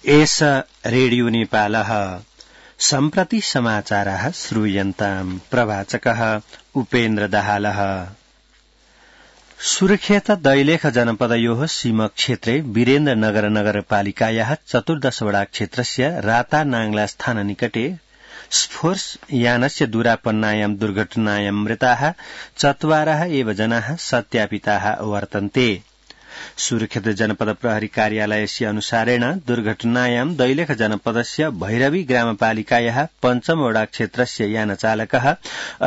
एष रेडियो नेपालः सम्प्रति समाचारः श्रूयन्ताम् प्रवाचकः उपेन्द्र दाहालः। सुर्खेत दैलेख जनपदयोः सीमक्षेत्रे वीरेन्द्रनगर नगरपालिकायाः 14 वडा क्षेत्रस्य राता नाङ्ला स्थान निकटे स्फोर्स यानस्य दुरापन्नायां दुर्घटनायां मृताः 4 एव जनाः सत्यापिताः वर्तन्ते। सुर्खेत जनपद प्रहरी कार्यालयस्य अनुसारेण दुर्घटनायां दैलेख जनपदस्य भैरवी ग्रामपालिकायाः 5 वडा क्षेत्रस्य यानचालकः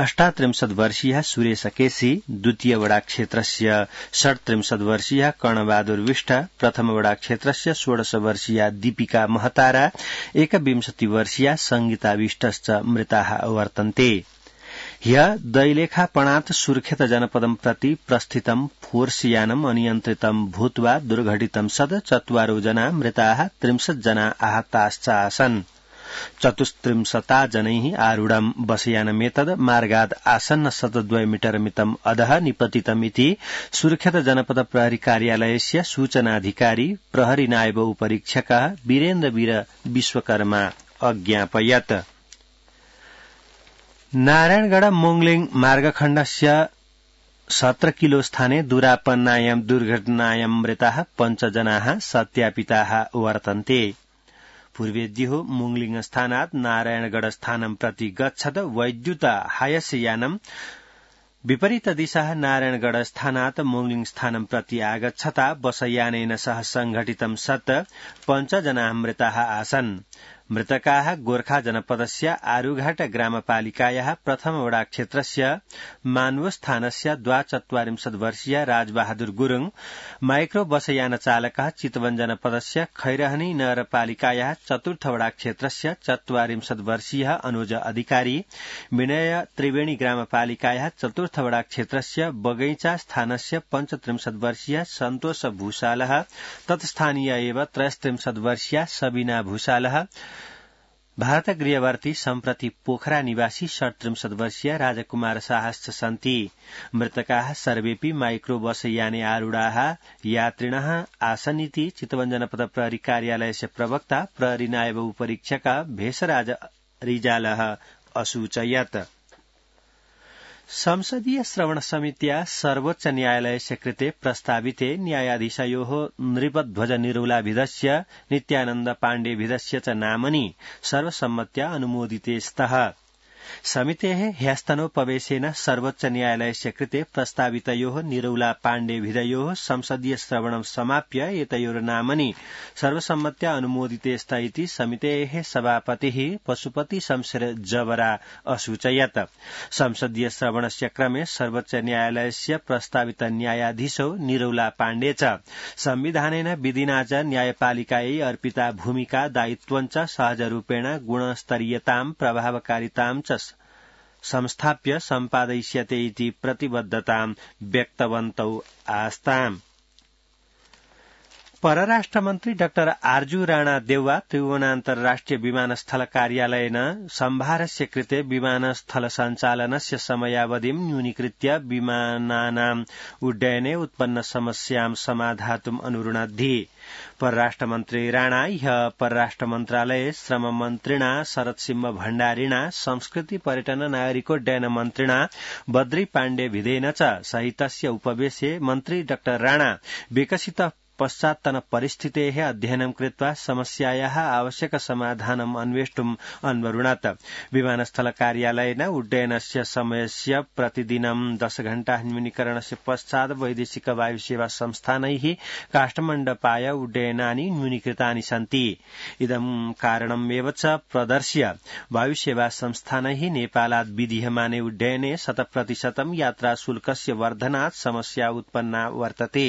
38 वर्षीयः सुरेश केसी, 2 वडा क्षेत्रस्य 37 वर्षीयः कर्णबहादुर विष्ट, 1 वडा क्षेत्रस्य 16 वर्षीया दीपिका महतारा, 21 वर्षीया संगीता विष्टश्च मृताः वर्तन्ते। ह्य दैलेखापणात् सुर्खेत जनपदं प्रति प्रस्थितं फोर्सयानम् अनियन्त्रितं भूत्वा दुर्घटितं सद् 4 जना मृताः 30 जना आहताश्च आसन्। 34 जनैः आरूढं बसयानमेतद् मार्गाद् आसन्न 2 मीटर मितम् अधः निपतितमिति सुर्खेत जनपद प्रहरी कार्यालयस्य सूचनाधिकारी प्रहरी नायब उपरीक्षकः वीरेन्द्र विश्वकर्मा अज्ञापयत्। नारायणगढ़ मोंगलिङ मार्गखण्डस्य 17 किलो स्थाने दुरापन्नायां दुर्घटनायां मृताः 5 जनाः सत्यापिताः वर्तन्ते। पूर्वेद्युः मोंगलिङ स्थानात् नारायणगढ़ स्थानं प्रति गच्छद वैद्युत हायसयानं विपरीत दिशः नारायणगढ़ स्थानात् मोंगलिङ स्थानं प्रति आगच्छता बसयानेन सह संघटितं सत् 5 जनाः मृताः आसन्। मृतकाः गोर्खा जनपदस्य आरूघाट ग्रामपालिकायाः 1 वडा क्षेत्रस्य मान्वो स्थानस्य 42 वर्षीय राजबहादुर गुरुङ, माइक्रो बसयान चालकः चितवन जनपदस्य खैरहनी नगरपालिकायाः 4 वडा क्षेत्रस्य 44 वर्षीय अनुज अधिकारी, विनय त्रिवेणी ग्रामपालिकायाः 4 वडा क्षेत्रस्य बगैंचा स्थानस्य 35 वर्षीय सन्तोष भूषालः, तत्स्थानीय एव 33 वर्षीय सबीना भूषालः, भारत गृहवर्ती सम्प्रति पोखरा निवासी 37 वर्षीय राजकुमार शाहश्च सन्ति। मृतकाः सर्वेपि माइक्रो बस याने आरूढाः यात्रिणः आसन्निति चितवन जनपद प्रहरी कार्यालयस्य प्रवक्ता प्रहरी नायब उपरीक्षक भेषराज रिजालः असूचयत्। संसदीय श्रवण समित्या सर्वोच्च न्यायालयस्य कृते प्रस्ताविते न्यायाधीशयोः नृपध्वज निरौलाभिधस्य नित्यानन्द पाण्डेभिधस्य च नामनि सर्वसम्मत्या अनुमोदिते स्तः। समितेः ह्यस्तनोपवेशेन सर्वोच्च न्यायालयस्य कृते प्रस्तावितयोः निरौला पाण्डेभिधयोः संसदीय श्रवणं समाप्य एतयोर्नामनि सर्वसम्मत्या अनुमोदिते स्त इति समितेः सभापतिः पशुपति शमशेर जबरा असूचयत्। संसदीय श्रवणस्य क्रमे सर्वोच्च न्यायालयस्य प्रस्तावित न्यायाधीशौ निरौला पाण्डे च संविधानेन विधिना च न्यायपालिकायै अर्पिता भूमिका दायित्वञ्च सहजरूपेण गुणस्तरीयतां प्रभावकारितां च संस्थाप्य सम्पादयिष्यते इति प्रतिबद्धतां व्यक्तवन्तौ आस्ताम्। परराष्ट्रमन्त्री डाक्टर आर्जू राणा देउवा त्रिभुवनान्तर्राष्ट्रिय विमानस्थल कार्यालयेन सम्भारस्य कृते विमानस्थल सञ्चालनस्य समयावधिं न्यूनीकृत्य विमानानाम् उड्डयने उत्पन्न समस्यां समाधातुम् अनुरुणद्धि। परराष्ट्रमन्त्री राणा ह्यः परराष्ट्रमन्त्रालये श्रममन्त्रिणा शरदसिंह भण्डारिणा संस्कृति पर्यटन नागरिकोड्डयन मन्त्रिणा बद्री पाण्डेभिधेन च सहितस्य उपवेशे मन्त्री डाक्टर राणा विकसित पश्चात्तन परिस्थितेः अध्ययनं कृत्वा समस्यायाः आवश्यक समाधानम् अन्वेष्टुम् अन्वरुणत्। विमानस्थल कार्यालयेन उड्डयनस्य समयस्य प्रतिदिनं 10 घण्टा न्यूनीकरणस्य पश्चात् वैदेशिक वायुसेवा संस्थानैः काष्ठमण्डपाय उड्डयनानि न्यूनीकृतानि सन्ति। इदं कारणमेव च प्रदर्श्य वायुसेवा संस्थानैः नेपालात् विधीयमाने उड्डयने 100% यात्राशुल्कस्य वर्धनात् समस्या उत्पन्ना वर्तते।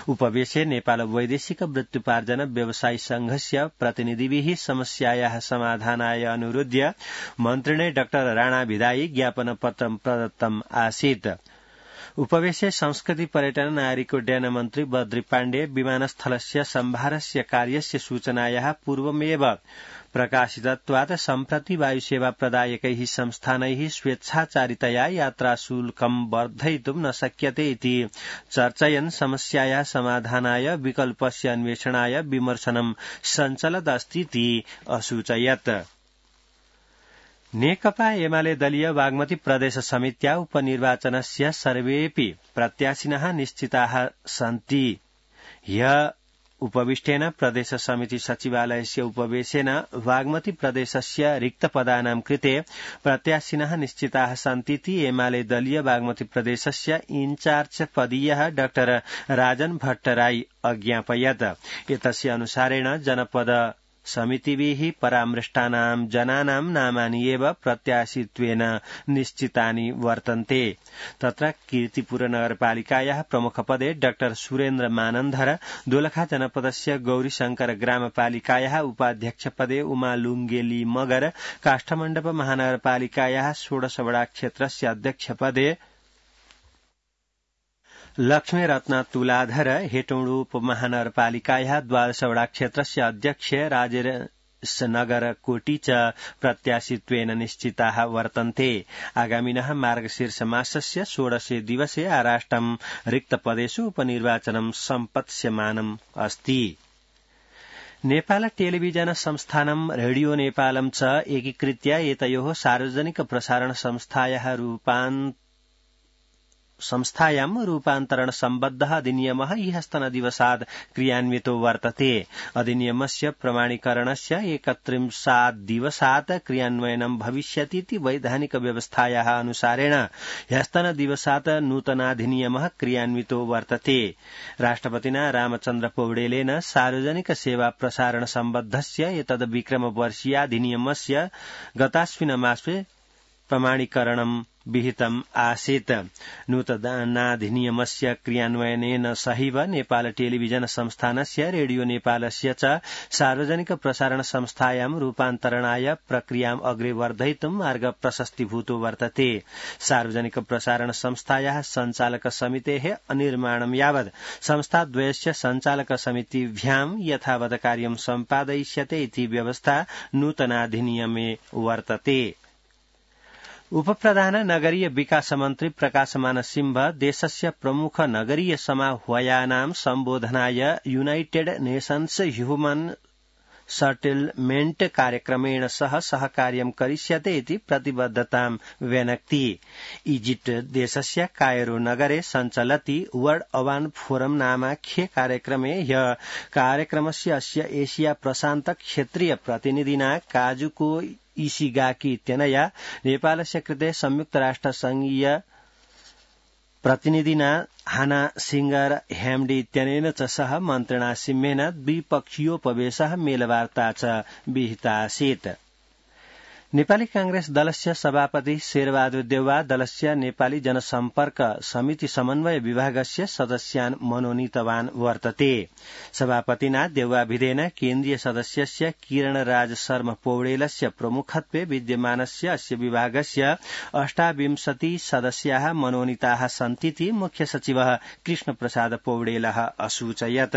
उपवेशे नेपाल वैदेशिक वृत्त्युपार्जन व्यवसायी संघस्य प्रतिनिधिभिः समस्यायाः समाधानाय अनुरोध्य मन्त्रिणे डाक्टर राणा भिधायी ज्ञापनपत्रं प्रदत्तम् आसीत्। उपवेशे संस्कृति पर्यटन नागरिकोड्डयन मन्त्री बद्री पाण्डे विमानस्थलस्य सम्भारस्य कार्यस्य सूचनायाः पूर्वमेव प्रकाशितत्वात् सम्प्रति वायुसेवा प्रदायकैः संस्थानैः स्वेच्छाचारितया यात्राशुल्कं वर्धयितुं न शक्यते इति चर्चयन् समस्यायाः समाधानाय विकल्पस्य अन्वेषणाय विमर्शनं सञ्चलदस्तीति असूचयत्। नेकपा एमाले दलीय बागमती प्रदेश समित्या उपनिर्वाचनस्य सर्वेऽपि प्रत्याशिनः निश्चिताः सन्ति। ह्य उपविष्टेन प्रदेश समिति सचिवालयस्य उपवेशेन बागमती प्रदेशस्य रिक्तपदानां कृते प्रत्याशिनः निश्चिताः सन्तीति एमाले दलीय बागमती प्रदेशस्य इन्चार्ज पदीयः डाक्टर राजन भट्टराई अज्ञापयत्। एतस्य अनुसारेण जनपद समितिभिः परामृष्टानां जनानां नामानि एव प्रत्याशित्वेन निश्चितानि वर्तन्ते। तत्र कीर्तिपुर नगरपालिकायाः प्रमुखपदे डाक्टर सुरेन्द्र मानन्धर, दोलखा जनपदस्य गौरीशंकर ग्रामपालिकायाः उपाध्यक्षपदे उमा लुङ्गेली मगर, काष्ठमण्डप महानगरपालिकायाः 16 वडा क्षेत्रस्य अध्यक्षपदे लक्ष्मीरत्न तुलाधर, हेटौडु उपमहानगरपालिकायाः 12 वडा क्षेत्रस्य अध्यक्ष राजेशनगर कोटी च प्रत्याशित्वेन निश्चिताः वर्तन्ते। आगामिनः मार्गशीर्ष मासस्य 16 दिवसे आराष्टं रिक्तपदेषु उपनिर्वाचनं सम्पत्स्यमानम् अस्ति। नेपाल टेलिभिजन संस्थानं रेडियो नेपालं च एकीकृत्य एतयोः सार्वजनिक प्रसारण संस्थायां रूपान्तरण सम्बद्धः अधिनियमः ह्यस्तनदिवसात् क्रियान्वितो वर्तते। अधिनियमस्य प्रमाणीकरणस्य 31 दिवसात् क्रियान्वयनं भविष्यतीति वैधानिक व्यवस्थायाः अनुसारेण ह्यस्तनदिवसात् नूतनाधिनियमः क्रियान्वितो वर्तते। राष्ट्रपतिना रामचन्द्र पौडेलेन सार्वजनिक सेवा प्रसारण सम्बद्धस्य एतद् विक्रमवर्षीयाधिनियमस्य गतास्मिन् मासे प्रमाणीकरणं विहितम् आसीत्। नूतनाधिनियमस्य क्रियान्वयनेन सहैव नेपाल टेलिभिजन संस्थानस्य रेडियो नेपालस्य च सार्वजनिक प्रसारण संस्थायां रूपान्तरणाय प्रक्रियाम् अग्रे वर्धयितुं मार्ग प्रशस्तीभूतो वर्तते। सार्वजनिक प्रसारण संस्थायाः सञ्चालक समितेः अनिर्माणं यावत् संस्थाद्वयस्य सञ्चालक समितिभ्यां यथावत् कार्यं सम्पादयिष्यते इति व्यवस्था नूतनाधिनियमे वर्तते। उपप्रधान नगरीय विकास मन्त्री प्रकाशमान सिंह देशस्य प्रमुख नगरीय समाह्वयानां सम्बोधनाय युनाइटेड नेशन्स ह्युमन सेटलमेंट कार्यक्रमेण सह सहकार्यं करिष्यते इति प्रतिबद्धतां व्यनक्ति। इजिप्ट देशस्य कायरो नगरे सञ्चलति वर्ल्ड अर्बन फोरम नामाख्ये कार्यक्रमे ह्य कार्यक्रमस्य अस्य एशिया प्रशान्त क्षेत्रीय प्रतिनिधिना काजुको इशिगाकी इत्यनया नेपालस्य कृते संयुक्त राष्ट्र संघीय प्रतिनिधिना हाना सिंगर हेम्डी इत्यनेन च सह मन्त्रिणा सिंहेन द्विपक्षीयोपवेशः मेलवार्ता च विहिता आसीत्। नेपाली कांग्रेस दलस्य सभापति शेरबहादुर देउवा दलस्य नेपाली जनसम्पर्क समिति समन्वय विभागस्य सदस्यान् मनोनीतवान् वर्तते। सभापतिना देउवाभिधेन केन्द्रीय सदस्यस्य किरण राज शर्मा पौडेलस्य प्रमुखत्वे विद्यमानस्य अस्य विभागस्य 28 सदस्याः मनोनीताः सन्तीति मुख्य सचिवः कृष्ण प्रसाद पौडेलः असूचयत्।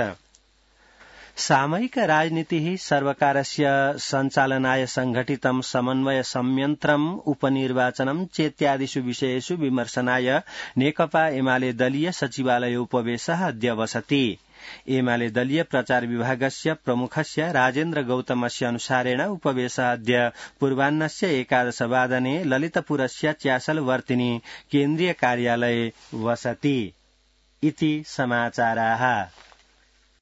सामयिक राजनीतिः सर्वकारस्य सञ्चालनाय संघटितं समन्वय संयन्त्रम् उपनिर्वाचनं चेत्यादिषु विषयेषु विमर्शनाय नेकपा एमाले दलीय सचिवालय उपवेशः अद्य बसति। एमाले दलीय प्रचार विभागस्य प्रमुखस्य राजेन्द्र गौतमस्य अनुसारेण उपवेशः अद्य पूर्वाह्नस्य 11 वादने ललितपुरस्य च्यासलवर्तिनी केन्द्रीय कार्यालये वसति इति समाचाराः।